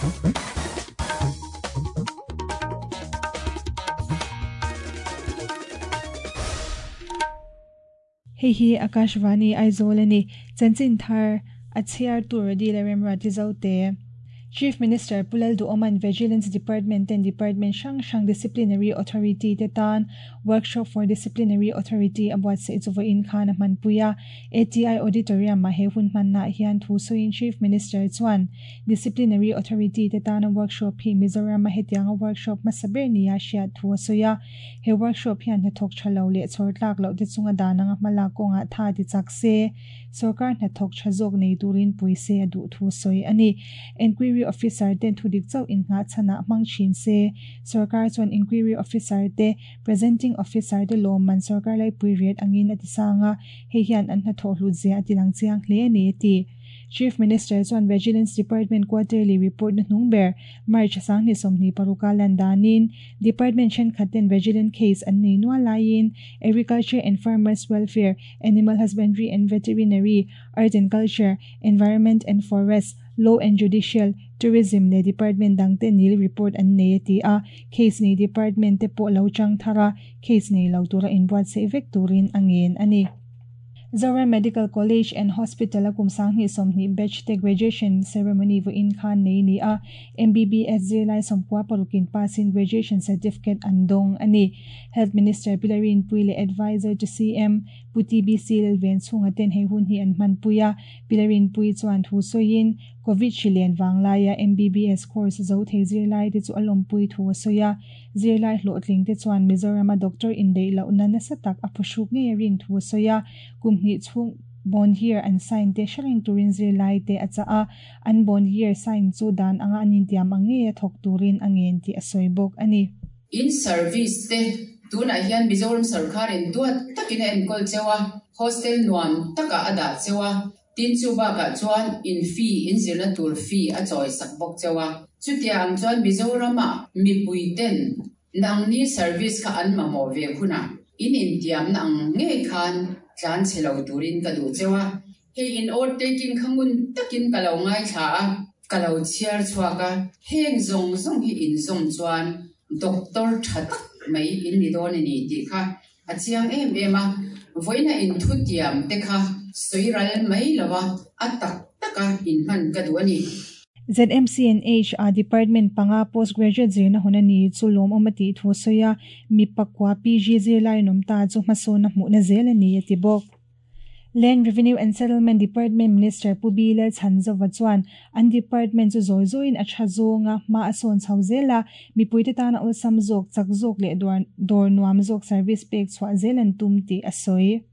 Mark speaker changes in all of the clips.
Speaker 1: Hei hi Akashvani Aizawl a ni. Chanchin thar a chhiar tur a dil a remruat i zo te. Chief Minister Pu Lalduhawma'n Vigilance Department ten Department hrang hrang Disciplinary Authority te tan Workshop for Disciplinary Authority a buatsaih chu vawiin khan a hmanpui a. ATI Auditorium-ah he hun hmannaah hian thu sawiin Chief Minister chuan Disciplinary Authority te tana workshop hi Mizoram-a hetianga workshop hmasa ber nia hriat thu a sawi a. He workshop hian hnathawk tha lo leh chhawr tlak loh te chunga dan anga hmalak kawngah tha ti chak se, sorkar hnathawk tha zawk nei turin pui se a duh thu sawi a ni. Enquiry Officer ten thudik chauh innghah chhanah hmang thin se, sorkar chuan Enquiry Officer te, Presenting Officer te lawmman sorkar laipui riat angin a ti sang a, hei hian an hnathawh hlut zia a ti lang chiang hle a ni, a ti. Chief Minister chuan Vigilance Department Quarterly Report na hnung ber March 2026 a lan danin Department thenkhat ten Vigilance case an nei nual laiin Agriculture and Farmers Welfare, Animal Husbandry and Veterinary, Art and Culture, Environment and Forest, Law and Judicial, Tourism leh Department dang te nil report an nei a ti a, case nei Department te pawh lo chang thar a, case nei lo tura inbuatsaih vek turin a ngen a ni. Zoram Medical College and Hospital a kum 2020 batch te graduation ceremony vawiin khan nei ni a, MBBS zirlai 96 in pass in graduation certificate an dawng a ni. Health Minister Pi Larinpui leh Adviser to CM Pu TBC Lalven chhunga ten hei hun hi an hmanpui a, Pi Larinpui chuan thu sawiin Covid hri len vanglaia MBBS course zo thei zirlai te chu a lawmpui thu a sawi a. Zirlai hlawhtling te chuan Mizorama doctor indaih lohna nasa tak a phuhruk ngei a rin thu a sawi a, kum hnih chhung bond year an sign te hre reng turin zirlai te a chah a, an bond year sign chu dan anga an intiam ang ngei a thawk turin a ngen tih a sawi bawk a ni.
Speaker 2: In service te tunah hian Mizoram sorkarin duat takin a enkawl cheu a, hostel nuam takah a dah cheu a, Tin, chu bakah chuan in fee, in zirna tur fee a chawi sak bawk cheu a. Chutia ang chuan Mizoramah mipui ten nangni service kha an mamawh ve hunah in intiamna ang ngei khan tlan chhe lo turin ka duh cheu a. Hei in oath taking kha ngun takin ka lo ngaithla a, ka lo chhiar chhuak a, heng zawng zawng hi in zawm chuan doctor tha tak mai in ni dawn a ni tih kha A chiang em em a, vawiina inthutiam te kha sawi ral mai lo a, a tak taka inhman ka duh a ni.
Speaker 1: ZMCNH-a Department panga Postgraduate zirna hun a ni chu lawmawm a tih thu a sawi a, mi pakua PG zirlai an awm ta chu hmasawn a hmuhna zel a ni a ti bawk. Land Revenue and Settlement Department Minister Pu B Lalchhanzova chuan an department chu zawi zawiin a tha zawng a, hma a sawn chho zel a, mipuite tana awlsam zawk, chak zawk leh dawr nuam zawk service pek chhuah zel an tum tih a sawi.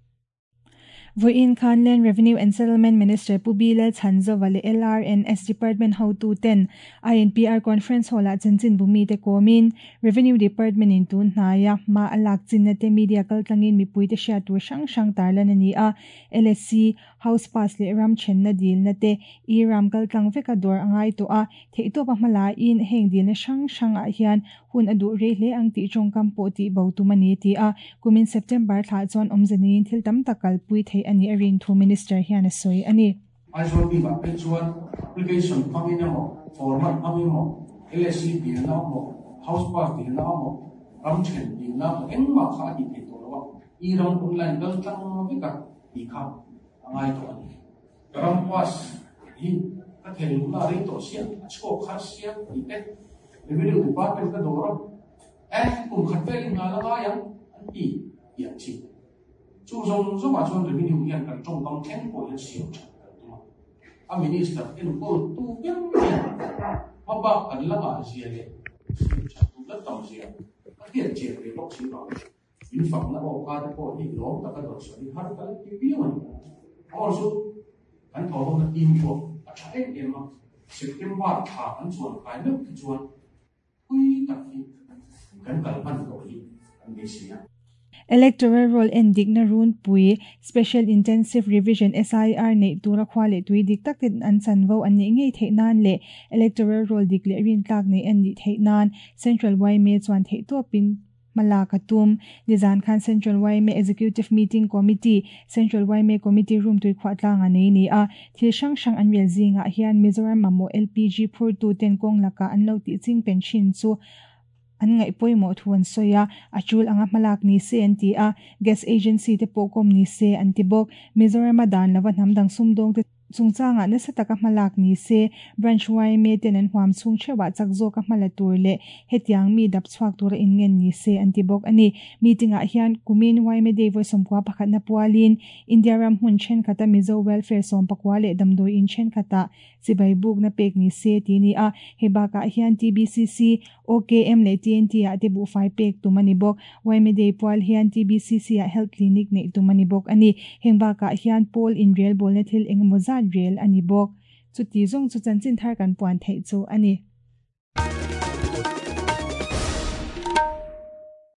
Speaker 1: Vawiin khan Land Revenue and Settlement Minister Pu B Lalchhanzova leh LRNS Department hotuten INPR Conference Hall-ah chanchinbu mite kawmin Revenue Department in tun hnaia hma a lak chinna te media kaltlangin mipuite hriat tur hrang hrang tarlan a ni a, LSC, House Pass leh ram thenna dilna te e-ram kaltlang veka dawr a ngai tawh a, theihtawp a hma laiin heng dilna hrang hrangah hian hun a duh rei hle ang tih tawngkam pawh tih bo tum a ni a ti a, kumin September thlah chuan awmze neiin thil tam tak kalpui theih a nih a rin thu Minister hian a sawi a ni.
Speaker 3: Aizawl bikah phei chuan application hmangin emaw, format hmangin emaw, LSC dilna emaw, house pass dilna emaw, ram then dilna emaw engmah kha a tih theih tawh lo a, e-ram online kal tlang vek a tih kha a ngai tawh a ni. Ka ram pass hi ka thei luhna a rei tawh sia, a chhuak kha sia tih te Revenue Department ka dawr a, eh kum khat velin nghal a ngai ang an ti tih ang chi. Chu zawng zawngah chuan revenue hian kan tawngkam thleng pawh hian siam that kan tum a, a minister enkawl tu ber hian hmabak kan la ngah zia leh siam that duh la tam zia a hriat chian ve bawk si vang in fakna aw kha te pawh hi lawm taka dawt sawi har ka la ti viau a ni. Aw chu kan thawhhawna team pawh a tha em em a, September thla kan chuan kai meuh khi chuan Pui tak hi kan kal hman tawh hi an beisei a.
Speaker 1: Electoral Roll en dikna runpui, Special Intensive Revision, SIR, neih tura khua leh tui dik tak ten an chanvo an nih ngei theih nan leh Electoral Roll dik leh rintlak neih an nih theih nan Central yma chuan theihtawpin. Hmalak a tum. Nizan khan Central yma Executive Meeting Committee, Central yma Committee Room Tuikhuah tlanga nei ni a. Thil hrang hrang an rel zingah hian Mizoram mamawh LPG phurtu ten kawng laka an lo tih ching pen thin chu an ngaih pawimawh thu an sawi a, a tul anga hmalak ni se an ti a, Gas Agency te pawh kawm ni se an ti bawk. Mizorama dan lova hnam dang sumdawng te chungchangah nasa taka hmalak ni se, Branch yma ten an huam chhung theuhah chak zawka hmala tur leh hetiang mi dap chhuak tura inngen ni se an ti bawk a ni. Meeting ah hian kumin yma Day vawi 11 na pualin India ram hmun thenkhata Mizo Welfare 14 leh damdawi in thenkhata chibai bukna pek ni se ti ni a. Hei bakah hian TBCC, OKM leh TNT ah te buhfai pek tum a ni bawk. Yma Day pual hian TBCC ah Health Clinic neih tum a ni bawk a ni. Heng bakah hian pawl inrel bawlna thil engemaw zat rel a ni bawk. Chuti zawng chu chanchin thar kan puan theih chu a ni.